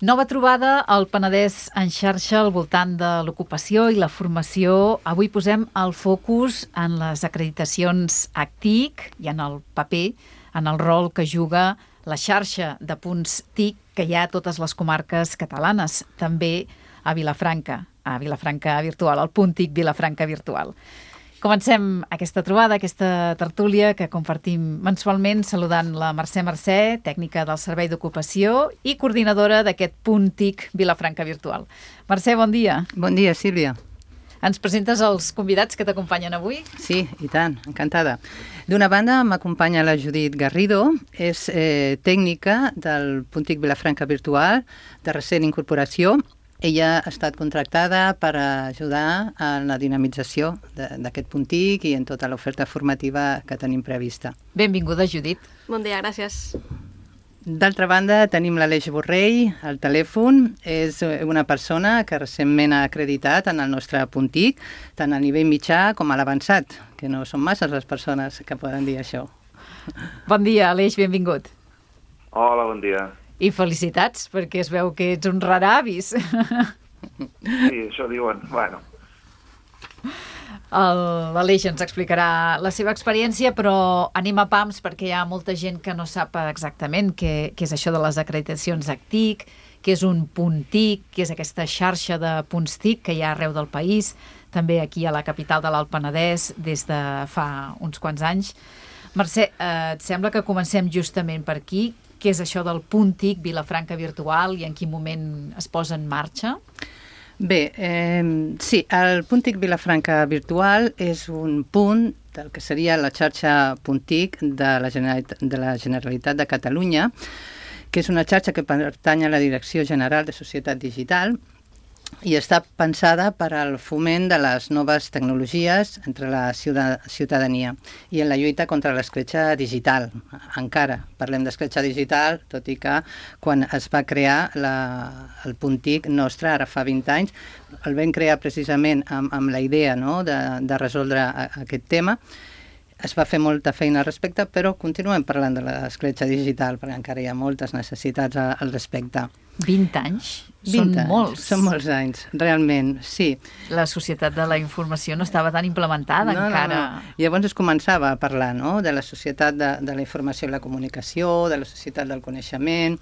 Nova trobada al Penedès en xarxa al voltant de l'ocupació i la formació. Avui posem el focus en les acreditacions ACTIC i en el paper, en el rol que juga la xarxa de punts TIC que hi ha a totes les comarques catalanes, també a Vilafranca Virtual, el punt TIC Vilafranca Virtual. Comencem aquesta trobada, aquesta tertúlia que compartim mensualment saludant la Mercè, tècnica del Servei d'Ocupació i coordinadora d'aquest punt TIC Vilafranca Virtual. Mercè, bon dia. Bon dia, Sílvia. Ens presentes els convidats que t'acompanyen avui? Sí, i tant, encantada. D'una banda m'acompanya la Judit Garrido, és tècnica del punt TIC Vilafranca Virtual, de recent incorporació. Ella ha estat contractada per ajudar en la dinamització d'aquest punt TIC i en tota l'oferta formativa que tenim prevista. Benvinguda, Judit. Bon dia, gràcies. D'altra banda, tenim l'Aleix Borrell al telèfon. És una persona que recentment ha acreditat en el nostre punt TIC, tant a nivell mitjà com a l'avançat, que no són massa les persones que poden dir això. Bon dia, Aleix, benvingut. Hola, bon dia. I felicitats, perquè es veu que ets un raravis. Sí, això diuen. Bueno. L'Aleix ens explicarà la seva experiència, però anem a pams perquè hi ha molta gent que no sap exactament què és això de les acreditacions ACTIC, què és un punt TIC, què és aquesta xarxa de punts TIC que hi ha arreu del país, també aquí a la capital de l'Alt Penedès des de fa uns quants anys. Mercè, et sembla que comencem justament per aquí? Què és això del punt TIC Vilafranca Virtual i en quin moment es posa en marxa? Bé, sí, el punt TIC Vilafranca Virtual és un punt del que seria la xarxa punt TIC de la Generalitat de Catalunya, que és una xarxa que pertany a la Direcció General de Societat Digital i està pensada per al foment de les noves tecnologies entre la ciutadania i en la lluita contra l'escletxa digital. Encara parlem d'escletxa digital, tot i que quan es va crear el punt TIC nostre, ara fa 20 anys, el vam crear precisament amb la idea, no?, de resoldre aquest tema. Es va fer molta feina al respecte, però continuem parlant de l'escletxa digital, perquè encara hi ha moltes necessitats al respecte. 20 anys? 20 Són anys. molts. Són molts anys, realment, sí. La societat de la informació no estava tan implementada encara. No. Llavors es començava a parlar, no?, de la societat de la informació i la comunicació, de la societat del coneixement.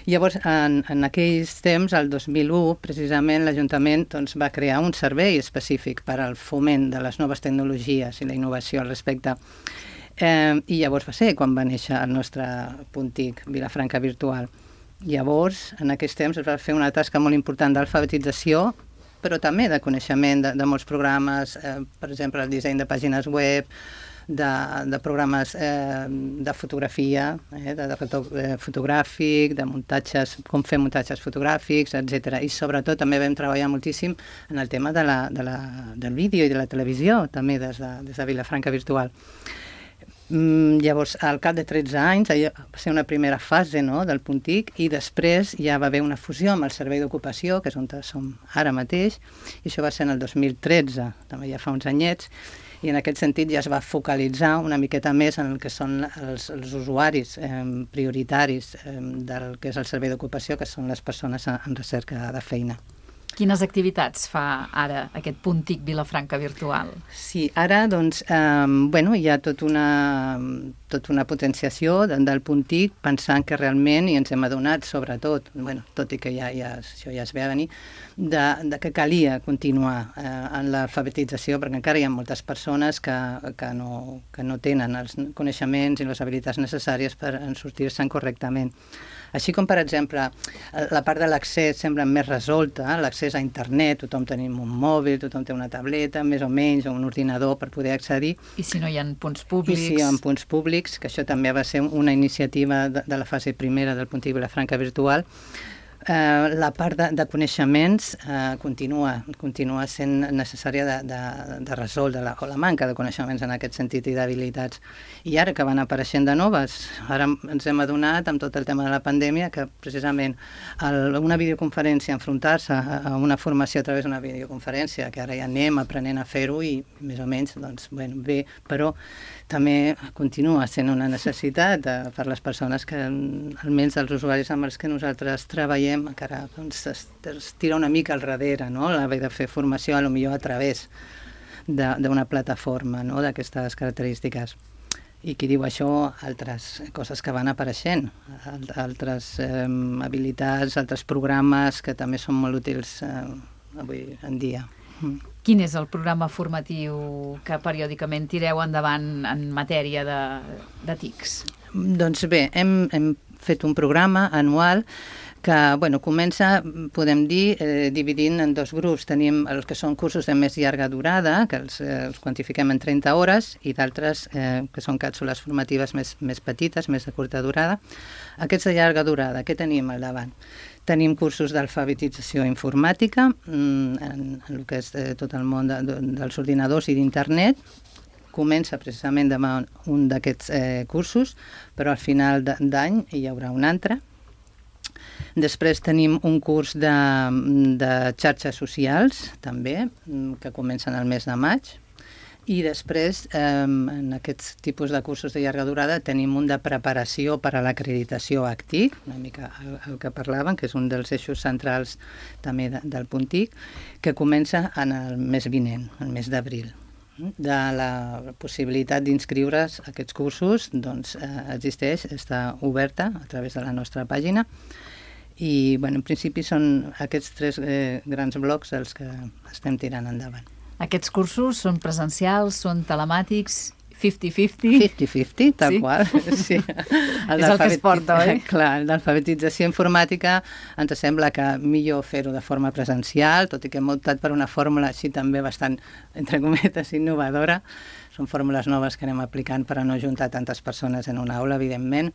Llavors, en aquells temps, el 2001, precisament, l'Ajuntament va crear un servei específic per al foment de les noves tecnologies i la innovació al respecte. I llavors va ser quan va néixer el nostre punt TIC, Vilafranca Virtual. Llavors, en aquells temps, es va fer una tasca molt important d'alfabetització, però també de coneixement de molts programes, per exemple, el disseny de pàgines web, de programes de fotografia, de retoc fotogràfic, de muntatges, com fer muntatges fotogràfics, etc. I sobretot també vam treballar moltíssim en el tema del vídeo i de la televisió, també des de Vilafranca Virtual. Llavors, al cap de 13 anys, va ser una primera fase, no?, del punt TIC, i després ja va haver una fusió amb el Servei d'Ocupació, que és on som ara mateix, i això va ser en el 2013, també ja fa uns anyets, i en aquest sentit ja es va focalitzar una miqueta més en el que són els usuaris prioritaris del que és el Servei d'Ocupació, que són les persones en recerca de feina. Quines activitats fa ara aquest punt TIC Vilafranca Virtual? Sí, ara hi ha tota una potenciació del punt TIC, pensant que realment, i ens hem adonat sobretot, tot i que això ja es ve a venir, que calia continuar en l'alfabetització, perquè encara hi ha moltes persones que no tenen els coneixements i les habilitats necessàries per sortir-se'n correctament. Així com, per exemple, la part de l'accés sembla més resolta, l'accés a internet, tothom tenim un mòbil, tothom té una tableta, més o menys, o un ordinador per poder accedir. I si no hi ha punts públics? I si hi ha punts públics, que això també va ser una iniciativa de la fase primera del punt TIC Vilafranca Virtual. La part de coneixements continua sent necessària de resoldre o la manca de coneixements en aquest sentit i d'habilitats. I ara que van apareixent de noves, ara ens hem adonat amb tot el tema de la pandèmia que precisament una videoconferència, enfrontar-se a una formació a través d'una videoconferència, que ara ja anem aprenent a fer-ho i més o menys, bé, però també continua sent una necessitat per les persones que, almenys els usuaris amb els que nosaltres treballem, fem, encara es tira una mica al darrere, no? L'haver de fer formació, potser a través d'una plataforma, no? D'aquestes característiques. I qui diu això, altres coses que van apareixent, altres habilitats, altres programes que també són molt útils avui en dia. Quin és el programa formatiu que periòdicament tireu endavant en matèria de TICs? Doncs bé, hem fet un programa anual que comença, podem dir, dividint en dos grups. Tenim els que són cursos de més llarga durada, que els quantifiquem en 30 hores, i d'altres que són càpsules formatives més petites, més de curta durada. Aquests de llarga durada, què tenim al davant? Tenim cursos d'alfabetització informàtica, en el que és tot el món dels ordinadors i d'internet. Comença precisament demà un d'aquests cursos, però al final d'any hi haurà un altre. Després tenim un curs de xarxes socials, també, que comencen el mes de maig. I després, en aquests tipus de cursos de llarga durada, tenim un de preparació per a l'acreditació ACTIC, una mica el que parlaven, que és un dels eixos centrals també del punt TIC, que comença en el mes vinent, el mes d'abril. De la possibilitat d'inscriure's a aquests cursos, doncs existeix, està oberta a través de la nostra pàgina. I, en principi, són aquests 3 grans blocs els que estem tirant endavant. Aquests cursos són presencials, són telemàtics, 50-50? 50-50, tal qual, sí. És el que es porta, oi? Clar, l'alfabetització informàtica ens sembla que millor fer-ho de forma presencial, tot i que hem optat per una fórmula així també bastant, entre cometes, innovadora. Són fórmules noves que anem aplicant per a no juntar tantes persones en una aula, evidentment,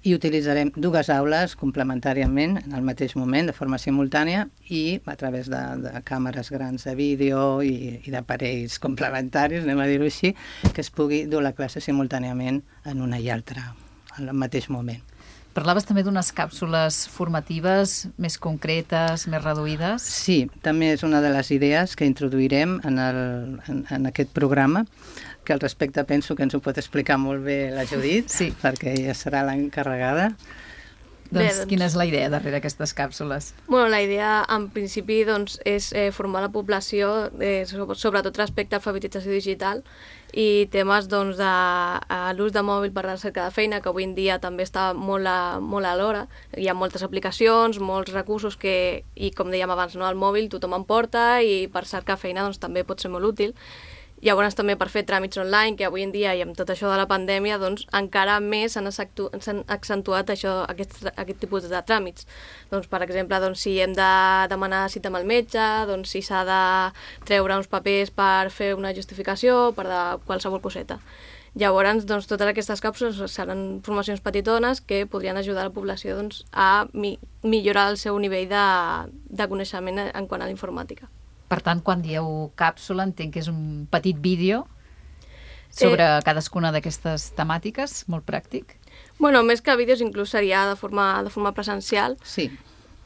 i utilitzarem 2 aules complementàriament en el mateix moment, de forma simultània, i a través de càmeres grans de vídeo i d'aparells complementaris, anem a dir-ho així, que es pugui dur la classe simultàniament en una i altra, al mateix moment. Parlaves també d'unes càpsules formatives més concretes, més reduïdes? Sí, també és una de les idees que introduirem en aquest programa, que al respecte penso que ens ho pot explicar molt bé la Judit, sí, perquè ella serà l'encarregada. Doncs quina és la idea darrere aquestes càpsules? La idea, en principi, és formar la població, sobretot respecte a alfabetització digital i temes de l'ús de mòbil per a la recerca de feina, que avui en dia també està molt a l'hora. Hi ha moltes aplicacions, molts recursos i com dèiem abans, el mòbil tothom en porta i per cercar feina també pot ser molt útil. Llavors també per fer tràmits online, que avui en dia i amb tot això de la pandèmia encara més s'han accentuat aquest tipus de tràmits. Per exemple, si hem de demanar cita amb el metge, si s'ha de treure uns papers per fer una justificació, per de qualsevol coseta. Llavors, totes aquestes càpsules seran formacions petitones que podrien ajudar la població a millorar el seu nivell de coneixement en quant a la informàtica. Per tant, quan dieu càpsula, entenc que és un petit vídeo sobre cadascuna d'aquestes temàtiques, molt pràctic. Més que vídeos, inclús seria de forma presencial. Sí.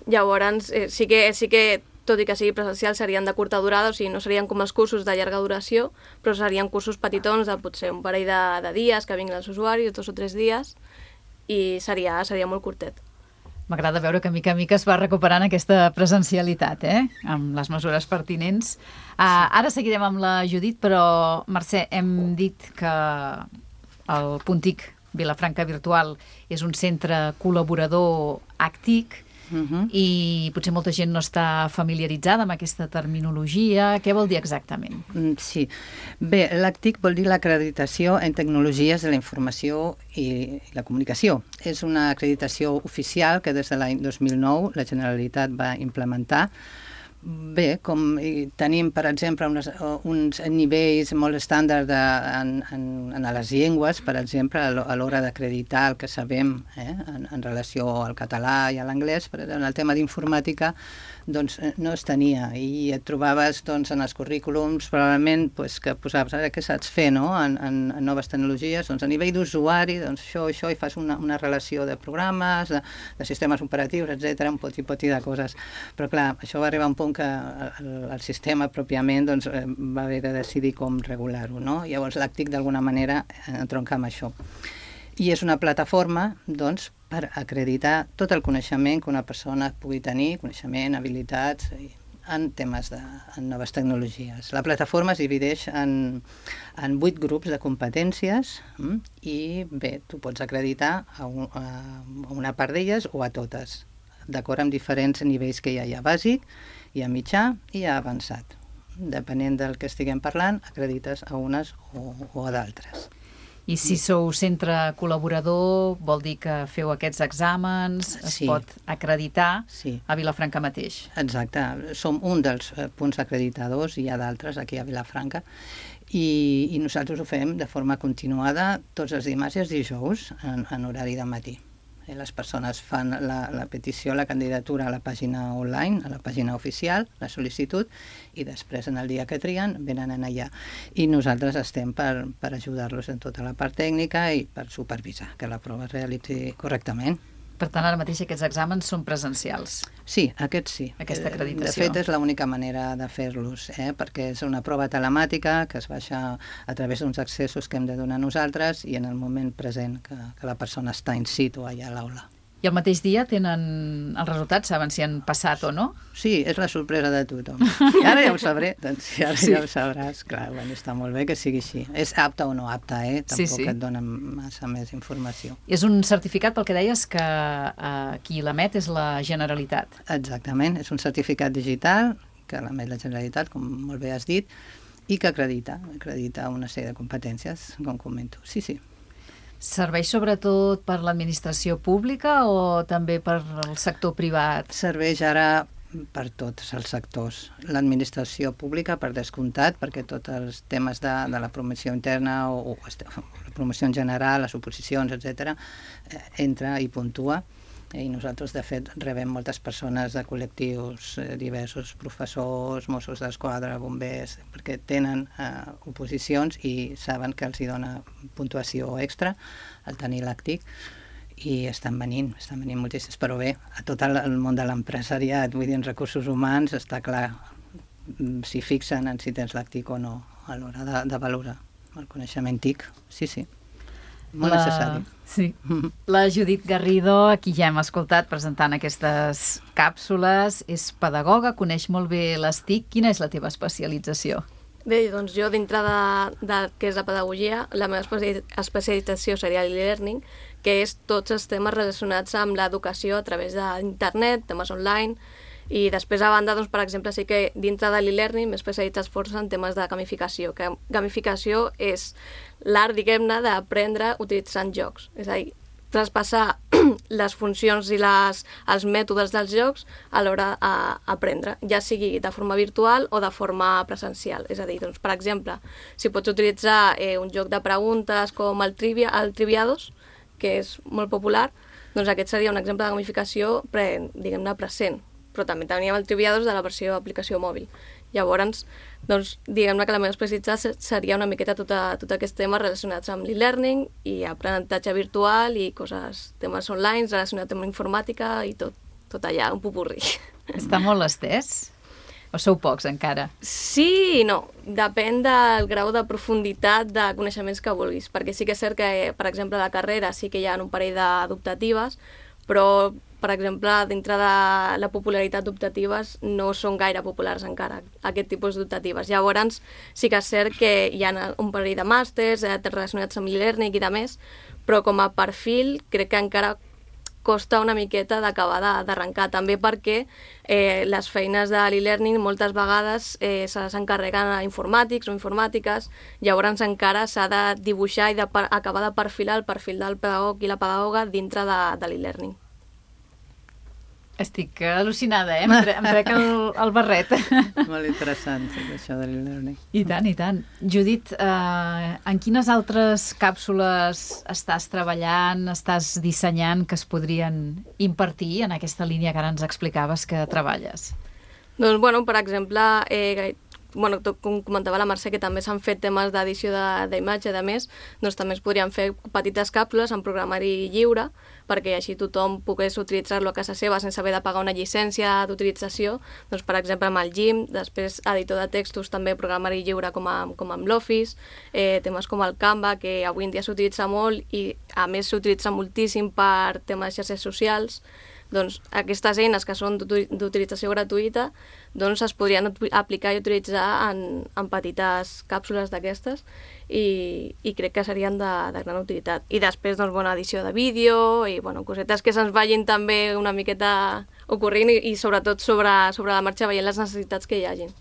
Llavors, sí que, tot i que sigui presencial, serien de curta durada, o sigui, no serien com els cursos de llarga duració, però serien cursos petitons de potser un parell de dies que vinguin els usuaris, 2 o 3 dies, i seria molt curtet. M'agrada veure que mica en mica es va recuperant aquesta presencialitat, amb les mesures pertinents. Ara seguirem amb la Judit, però, Mercè, hem dit que el Punt TIC Vilafranca Virtual és un centre col·laborador ACTIC, i potser molta gent no està familiaritzada amb aquesta terminologia. Què vol dir exactament? Sí. Bé, l'ACTIC vol dir l'acreditació en tecnologies de la informació i la comunicació. És una acreditació oficial que des de l'any 2009 la Generalitat va implementar. Bé, com tenim, per exemple, uns nivells molt estàndards en les llengües, per exemple, a l'hora d'acreditar el que sabem en relació al català i a l'anglès, però en el tema d'informàtica no es tenia, i et trobaves en els currículums probablement que posaves ara què saps fer en noves tecnologies, a nivell d'usuari, això, i fas una relació de programes, de sistemes operatius, etc., un poti de coses. Però clar, això va arribar a un punt que el sistema pròpiament va haver de decidir com regular-ho, no? Llavors l'ACTIC d'alguna manera entronca amb això. I és una plataforma per acreditar tot el coneixement que una persona pugui tenir, coneixement, habilitats, en temes en noves tecnologies. La plataforma es divideix en 8 grups de competències i bé, tu pots acreditar a una part d'elles o a totes, d'acord amb diferents nivells que hi ha bàsic, hi ha mitjà i hi ha avançat. Depenent del que estiguem parlant, acredites a unes o a d'altres. I si sou centre col·laborador, vol dir que feu aquests exàmens, es pot acreditar a Vilafranca mateix. Exacte, som un dels punts acreditadors, hi ha d'altres aquí a Vilafranca, i nosaltres ho fem de forma continuada tots els dimarts i els dijous en horari de matí. Les persones fan la petició, la candidatura a la pàgina online, a la pàgina oficial, la sol·licitud, i després, en el dia que trien, venen allà. I nosaltres estem per ajudar-los en tota la part tècnica i per supervisar que la prova es realitzi correctament. Per tant, ara mateix aquests exàmens són presencials. Sí, aquests sí. Aquesta acreditació. De fet, és l'única manera de fer-los, perquè és una prova telemàtica que es baixa a través d'uns accessos que hem de donar nosaltres i en el moment present que la persona està in situ allà a l'aula. I el mateix dia tenen els resultats, saben si han passat o no? Sí, és la sorpresa de tothom. I ara ja ho sabré, doncs ara ja ho sabràs. Clar, està molt bé que sigui així. És apte o no apte, tampoc et dona massa més informació. És un certificat, pel que deies, que qui l'emet és la Generalitat. Exactament, és un certificat digital que l'emet la Generalitat, com molt bé has dit, i que acredita una sèrie de competències, com comento. Sí. Serveix sobretot per l'administració pública o també per el sector privat? Serveix ara per tots els sectors. L'administració pública, per descomptat, perquè tots els temes de la promoció interna o la promoció en general, les oposicions, etc., entra i puntua. I nosaltres, de fet, rebem moltes persones de col·lectius diversos, professors, Mossos d'Esquadra, bombers, perquè tenen oposicions i saben que els hi dona puntuació extra al tenir l'ACTIC i estan venint moltíssims, però bé, a tot el món de l'empresariat, vull dir, en recursos humans, està clar si fixen en si tens l'ACTIC o no a l'hora de valorar el coneixement TIC, sí. Molt necessari. Sí. La Judit Garrido, a qui ja hem escoltat presentant aquestes càpsules, és pedagoga, coneix molt bé les TIC. Quina és la teva especialització? Bé, doncs jo, dintre de què és la pedagogia, la meva especialització seria l'e-learning, que és tots els temes relacionats amb l'educació a través d'internet, temes online, i després, a banda, doncs, per exemple, sí que dintre de l'e-learning m'he especialitzat força en temes de gamificació, que gamificació és l'art, diguem-ne, d'aprendre utilitzant jocs. És a dir, traspassar les funcions i els mètodes dels jocs a l'hora d'aprendre, ja sigui de forma virtual o de forma presencial. És a dir, doncs, per exemple, si pots utilitzar un joc de preguntes com el Triviados, que és molt popular, doncs aquest seria un exemple de gamificació, diguem-ne, present. Però també teníem el Triviados de la versió d'aplicació mòbil. Llavors, doncs, diguem-ne que la meva especialitat seria una miqueta tot aquests temes relacionats amb l'e-learning i aprenentatge virtual i temes online relacionats amb informàtica i tot allà, un popurri. Està molt estès? O sou pocs encara? Sí i no. Depèn del grau de profunditat de coneixements que vulguis, perquè sí que és cert que, per exemple, a la carrera sí que hi ha un parell d'optatives, però per exemple, dintre de la popularitat d'optatives no són gaire populars encara, aquest tipus d'optatives. Llavors, sí que és cert que hi ha un parell de màsters relacionats amb l'e-learning i de més, però com a perfil crec que encara costa una miqueta d'acabar d'arrencar, també perquè les feines de l'e-learning moltes vegades se les encarreguen a informàtics o informàtiques, llavors encara s'ha de dibuixar i acabar de perfilar el perfil del pedagog i la pedagoga dintre de l'e-learning. Estic al·lucinada, em trec el barret. Molt interessant, això de l'e-learning. I tant. Judit, en quines altres càpsules estàs treballant, estàs dissenyant que es podrien impartir en aquesta línia que ara ens explicaves que treballes? Doncs, bueno, per exemple, com comentava la Mercè, que també s'han fet temes d'edició d'imatge, a més, doncs també es podrien fer petites càpsules en programari lliure, perquè així tothom pogués utilitzar-lo a casa seva sense haver de pagar una llicència d'utilització, doncs per exemple amb el Gim, després editor de textos també programari lliure com amb l'Office, temes com el Canva, que avui en dia s'utilitza molt i a més s'utilitza moltíssim per temes de xarxes socials. Doncs aquestes eines que són d'utilització gratuïta doncs es podrien aplicar i utilitzar en petites càpsules d'aquestes i crec que serien de gran utilitat. I després, doncs, edició de vídeo i cosetes que se'ns vagin també una miqueta ocorrint i sobretot sobre la marxa veient les necessitats que hi hagin.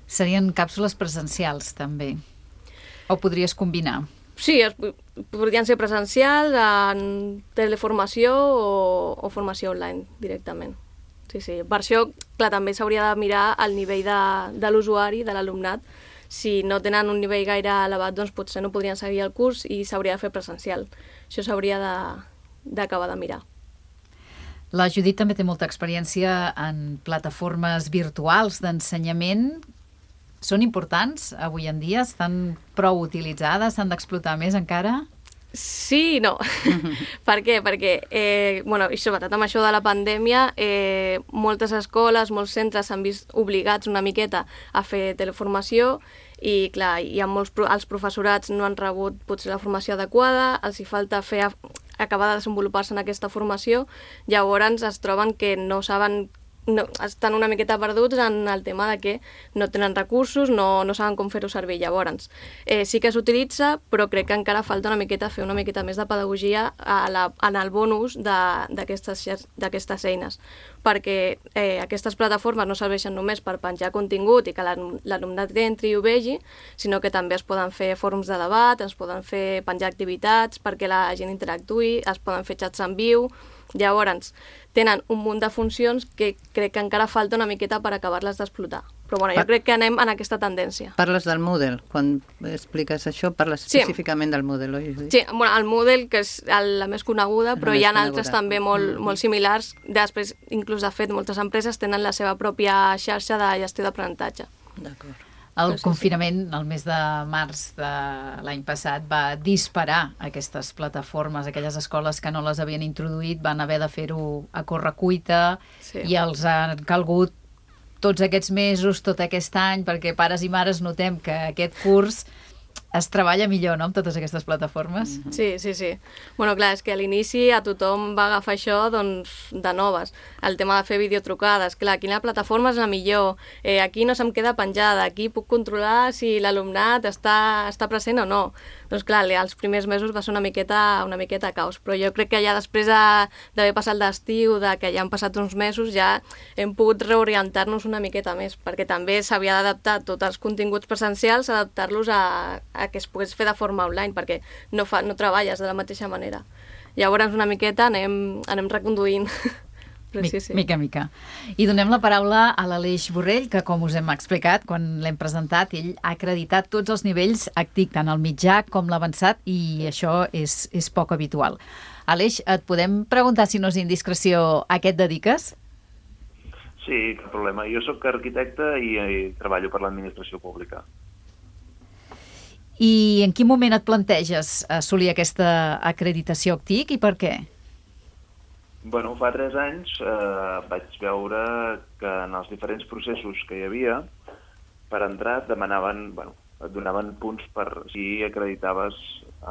Serien càpsules presencials, també? O podries combinar? Sí, podrien ser presencials, en teleformació o formació online directament. Sí. Per això, clar, també s'hauria de mirar el nivell de l'usuari, de l'alumnat. Si no tenen un nivell gaire elevat, doncs potser no podrien seguir el curs i s'hauria de fer presencial. Això s'hauria d'acabar de mirar. La Judit també té molta experiència en plataformes virtuals d'ensenyament. Són importants avui en dia? Estan prou utilitzades? S'han d'explotar més encara? Sí i no. Per què? Perquè, i sobretot amb això de la pandèmia, moltes escoles, molts centres s'han vist obligats una miqueta a fer teleformació i, clar, els professorats no han rebut potser la formació adequada, els hi falta acabar de desenvolupar-se en aquesta formació, llavors es troben que no saben, estan una miqueta perduts en el tema de que no tenen recursos, no saben com fer-ho servir. Llavors, sí que s'utilitza, però crec que encara falta fer una miqueta més de pedagogia en el bon ús d'aquestes eines, perquè aquestes plataformes no serveixen només per penjar contingut i que l'alumnat entri i ho vegi, sinó que també es poden fer fòrums de debat, es poden fer penjar activitats perquè la gent interactuï, es poden fer xats en viu. Llavors, tenen un munt de funcions que crec que encara falta una miqueta per acabar-les d'explotar. Però jo crec que anem en aquesta tendència. Parles del Moodle. Quan expliques això, parles específicament del Moodle, oi? Sí, el Moodle, que és la més coneguda, però hi ha altres també molt similars. Després, inclús, de fet, moltes empreses tenen la seva pròpia xarxa de gestió d'aprenentatge. D'acord. El confinament, el mes de març de l'any passat, va disparar aquestes plataformes. Aquelles escoles que no les havien introduït van haver de fer-ho a correcuita i els han calgut tots aquests mesos, tot aquest any, perquè pares i mares notem que aquest curs es treballa millor, no?, amb totes aquestes plataformes. Sí. Clar, és que a l'inici a tothom va agafar això de noves. El tema de fer videotrucades. Clar, quina plataforma és la millor? Aquí no se'm queda penjada, aquí puc controlar si l'alumnat està present o no. Doncs clar, els primers mesos va ser una miqueta caos, però jo crec que ja després d'haver passat l'estiu, que ja han passat uns mesos, ja hem pogut reorientar-nos una miqueta més, perquè també s'havia d'adaptar tots els continguts presencials, adaptar-los a que es pogués fer de forma online, perquè no treballes de la mateixa manera. Llavors una miqueta anem reconduint. Mica en mica. I donem la paraula a l'Aleix Borrell, que, com us hem explicat quan l'hem presentat, ell ha acreditat tots els nivells ACTIC, tant el mitjà com l'avançat, i això és poc habitual. Aleix, et podem preguntar, si no és indiscreció, a què et dediques? Sí, cap problema. Jo sóc arquitecte i treballo per l'administració pública. I en quin moment et planteges assolir aquesta acreditació ACTIC i per què? Bueno, fa 3 anys vaig veure que en els diferents processos que hi havia, per entrar et donaven punts per si acreditaves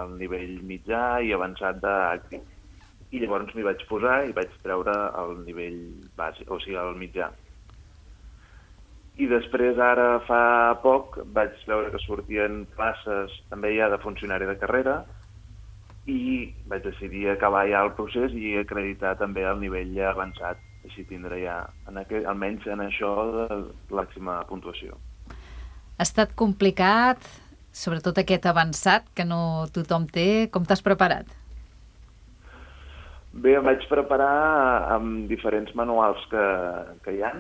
el nivell mitjà i avançat d'ACTIC. I llavors m'hi vaig posar i vaig treure el nivell bàsic, o sigui, el mitjà. I després, ara fa poc, vaig veure que sortien places també ja de funcionari de carrera i vaig decidir acabar ja el procés i acreditar també el nivell ja avançat. Així tindré ja, almenys en això, de màxima puntuació. Ha estat complicat, sobretot aquest avançat, que no tothom té. Com t'has preparat? Bé, em vaig preparar amb diferents manuals que hi ha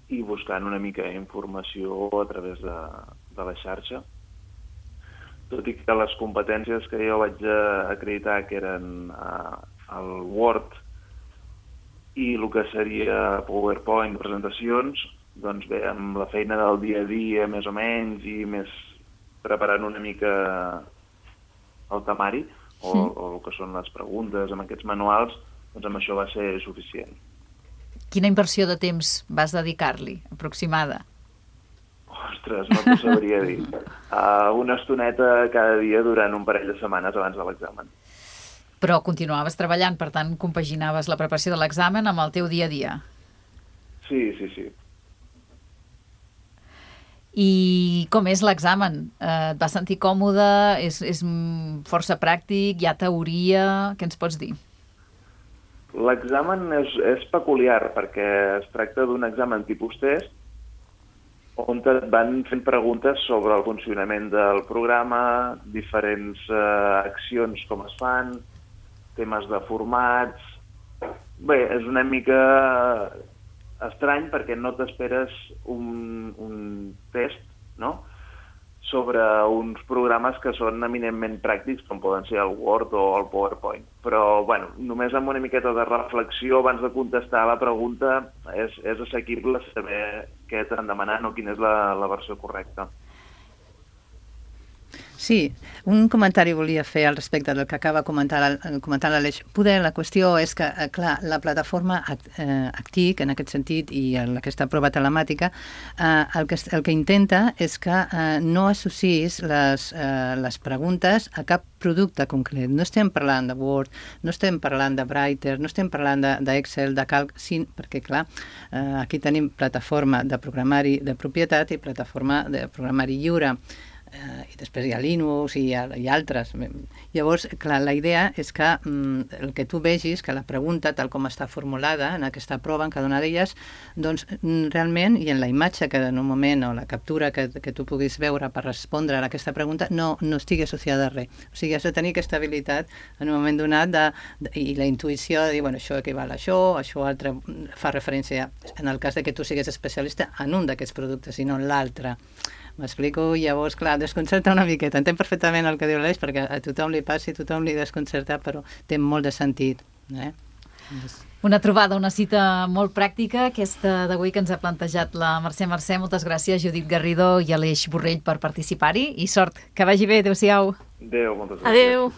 i buscant una mica informació a través de la xarxa. Tot i que les competències que jo vaig acreditar, que eren el Word i el que seria PowerPoint, presentacions, doncs bé, amb la feina del dia a dia, més o menys, i més preparant una mica el temari, o el que són les preguntes amb aquests manuals, doncs amb això va ser suficient. Quina inversió de temps vas dedicar-li, aproximada? Ostres, no t'ho sabria dir. Una estoneta cada dia durant un parell de setmanes abans de l'examen. Però continuaves treballant, per tant, compaginaves la preparació de l'examen amb el teu dia a dia. Sí. I com és l'examen? Et vas sentir còmode? És força pràctic? Hi ha teoria? Què ens pots dir? L'examen és peculiar perquè es tracta d'un examen tipus test on et van fent preguntes sobre el funcionament del programa, diferents accions com es fan, temes de formats... Bé, és una mica estrany perquè no t'esperes un test, no?, sobre uns programes que són eminentment pràctics, com poden ser el Word o el PowerPoint. Però, bueno, només amb una miqueta de reflexió abans de contestar la pregunta és assequible saber què t'han demanat o quina és la versió correcta. Sí, un comentari volia fer al respecte del que acaba comentant l'Aleix. Poder, la qüestió és que, clar, la plataforma ACTIC, en aquest sentit, i aquesta prova telemàtica, el que intenta és que no associïs les preguntes a cap producte concret. No estem parlant de Word, no estem parlant de Writer, no estem parlant d'Excel, de Calc, perquè, clar, aquí tenim plataforma de programari de propietat i plataforma de programari lliure. I després hi ha Linux i altres. Llavors, clar, la idea és que el que tu vegis, que la pregunta, tal com està formulada en aquesta prova, en cada una d'elles, doncs realment, i en la imatge que en un moment, o la captura que tu puguis veure per respondre a aquesta pregunta, no estigui associada a res. O sigui, has de tenir aquesta habilitat en un moment donat i la intuïció de dir, bueno, això equival a això altre fa referència, en el cas de que tu siguis especialista en un d'aquests productes i no en l'altre. M'explico? Llavors, clar, desconcerta una miqueta. Entenc perfectament el que diu l'Aleix, perquè a tothom li passa i a tothom li desconcerta, però té molt de sentit. Una trobada, una cita molt pràctica, aquesta d'avui que ens ha plantejat la Mercè. Moltes gràcies, Judit Garrido i Aleix Borrell, per participar-hi, i sort. Que vagi bé. Adéu-siau. Adéu, moltes gràcies. Adéu.